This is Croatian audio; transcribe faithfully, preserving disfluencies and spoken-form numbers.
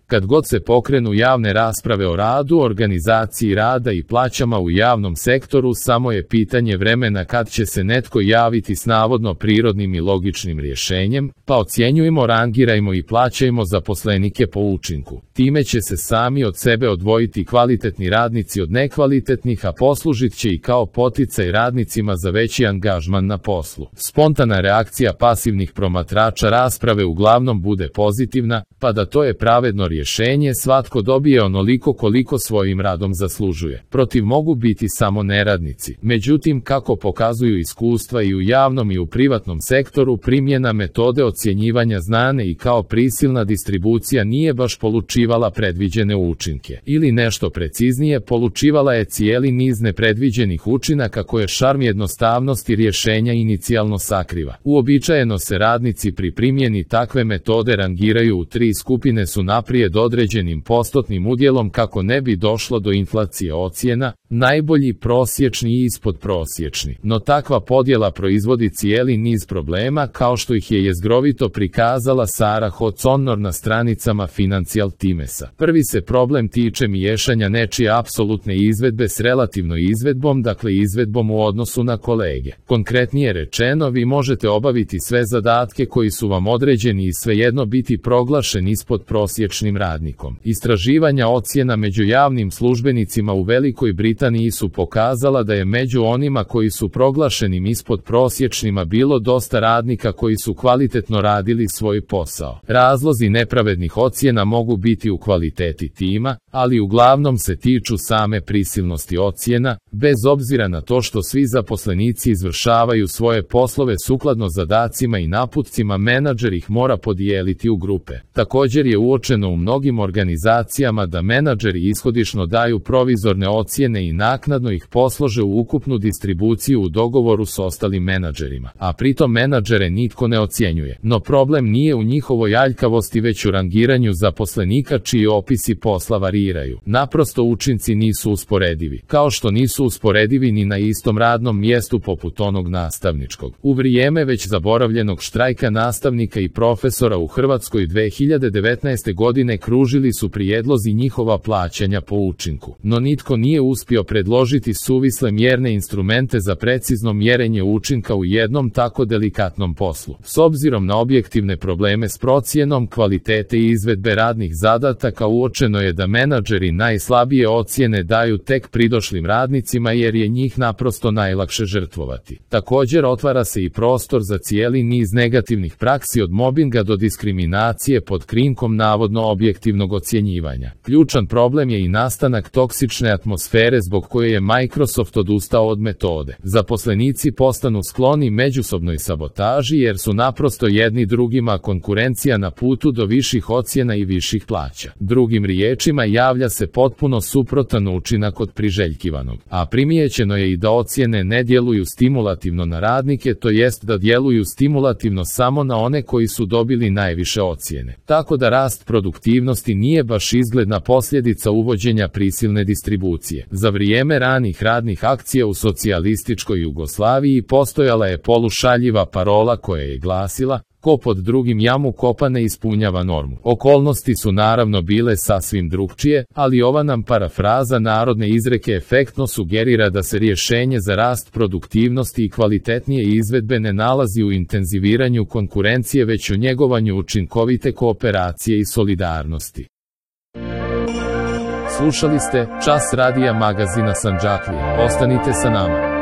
Kad god se pokrenu javne rasprave o radu, organizaciji rada i plaćama u javnom sektoru, samo je pitanje vremena kad će se netko javiti s navodno prirodnim i logičnim rješenjem, pa ocjenjujemo, rangirajmo i plaćajmo zaposlenike po učinku. Time će se sami od sebe odvojiti kvalitetni radnici od nekvalitetnih, a poslužit će i kao poticaj radnicima za veći angažman na poslu. Spontana reakcija pasivnih promatrača rasprave uglavnom bude pozitivna, pa da to je pravedno rješenje, svatko dobije onoliko koliko svojim radom zaslužuje. Protiv mogu biti samo neradnici. Međutim, kako pokazuju iskustva i u javnom i u privatnom sektoru, primjena metode ocjenjivanja znane i kao prisilna distribucija nije baš polučivala predviđene učinke. Ili nešto preciznije, polučivala je cijeli niz nepredviđenih učinaka koje šarm jednostavnosti rješenja inicijalno sakriva. Uobičajeno se radnici pri primjeni takve metode rangiraju u tri skupine su naprijed određenim postotnim udjelom kako ne bi došlo do inflacije ocjena, najbolji, prosječni i ispodprosječni. No takva podjela proizvodi cijeli niz problema, kao što ih je jezgrovito prikazala Sarah O'Connor na stranicama Financial Timesa. Prvi se problem tiče miješanja nečije apsolutne izvedbe s relativnom izvedbom, dakle izvedbom u odnosu na kolege. Konkretnije rečeno, vi možete obaviti sve zadatke koji su vam određeni i svejedno biti proglašen ispodprosječnim radnikom. Istraživanja ocjena među javnim službenicima u Velikoj Britaniji su pokazala da je među onima koji su proglašenim ispodprosječnima bilo dosta radnika koji su kvalitetno radili svoj posao. Razlozi nepravednih ocjena mogu biti u kvaliteti tima, ali uglavnom se tiču same prisilnosti ocjena, bez obzira na to što svi zaposlenici izvršavaju svoje poslove sukladno zadacima i naputcima, menadžer ih mora podijeliti u grupe. Također je uočeno u mnogim organizacijama da menadžeri ishodišno daju provizorne ocjene i naknadno ih poslože u ukupnu distribuciju u dogovoru s ostalim menadžerima, a pritom menadžere nitko ne ocjenjuje. No problem nije u njihovoj aljkavosti, već u rangiranju zaposlenika čiji opisi posla variraju. Naprosto učinci nisu usporedivi, kao što nisu usporedivi ni na istom radnom mjestu poput onog nastavničkog. U vrijeme već zaboravljenog štrajka nastavnika i profesora u Hrvatskoj dve hiljade devetnaeste. godine kružili su prijedlozi njihova plaćanja po učinku, no nitko nije uspio predložiti suvisle mjerne instrumente za precizno mjerenje učinka u jednom tako delikatnom poslu. S obzirom na objektivne probleme s procjenom kvalitete i izvedbe radnih zadataka, uočeno je da menadžeri najslabije ocjene daju tek pridošlim radnicima jer je njih naprosto najlakše žrtvovati. Također otvara se i prostor za cijeli niz negativnih praksi od mobinga do diskriminacije pod krinkom navodno objektivnog ocjenjivanja. Ključan problem je i nastanak toksične atmosfere zbog koje je Microsoft odustao od metode. Zaposlenici postanu skloni međusobnoj sabotaži jer su naprosto jedni drugima konkurencija na putu do viših ocjena i viših plaća. Drugim riječima, javlja se potpuno suprotan učinak od priželjkivanog. A primijećeno je i da ocjene ne djeluju stimulativno na radnike, to jest da djeluju stimulativno samo na one koji su dobili najviše ocjene. Tako da rast produktivnosti nije baš izgledna posljedica uvođenja prisilne distribucije. Za vrijeme ranih radnih akcija u socijalističkoj Jugoslaviji postojala je polušaljiva parola koja je glasila: ko pod drugim jamu kopa ne ispunjava normu. Okolnosti su naravno bile sasvim drukčije, ali ova nam parafraza narodne izreke efektno sugerira da se rješenje za rast produktivnosti i kvalitetnije izvedbe ne nalazi u intenziviranju konkurencije, već u njegovanju učinkovite kooperacije i solidarnosti. Slušali ste Čas radija magazina Sandžaklija. Ostanite sa nama.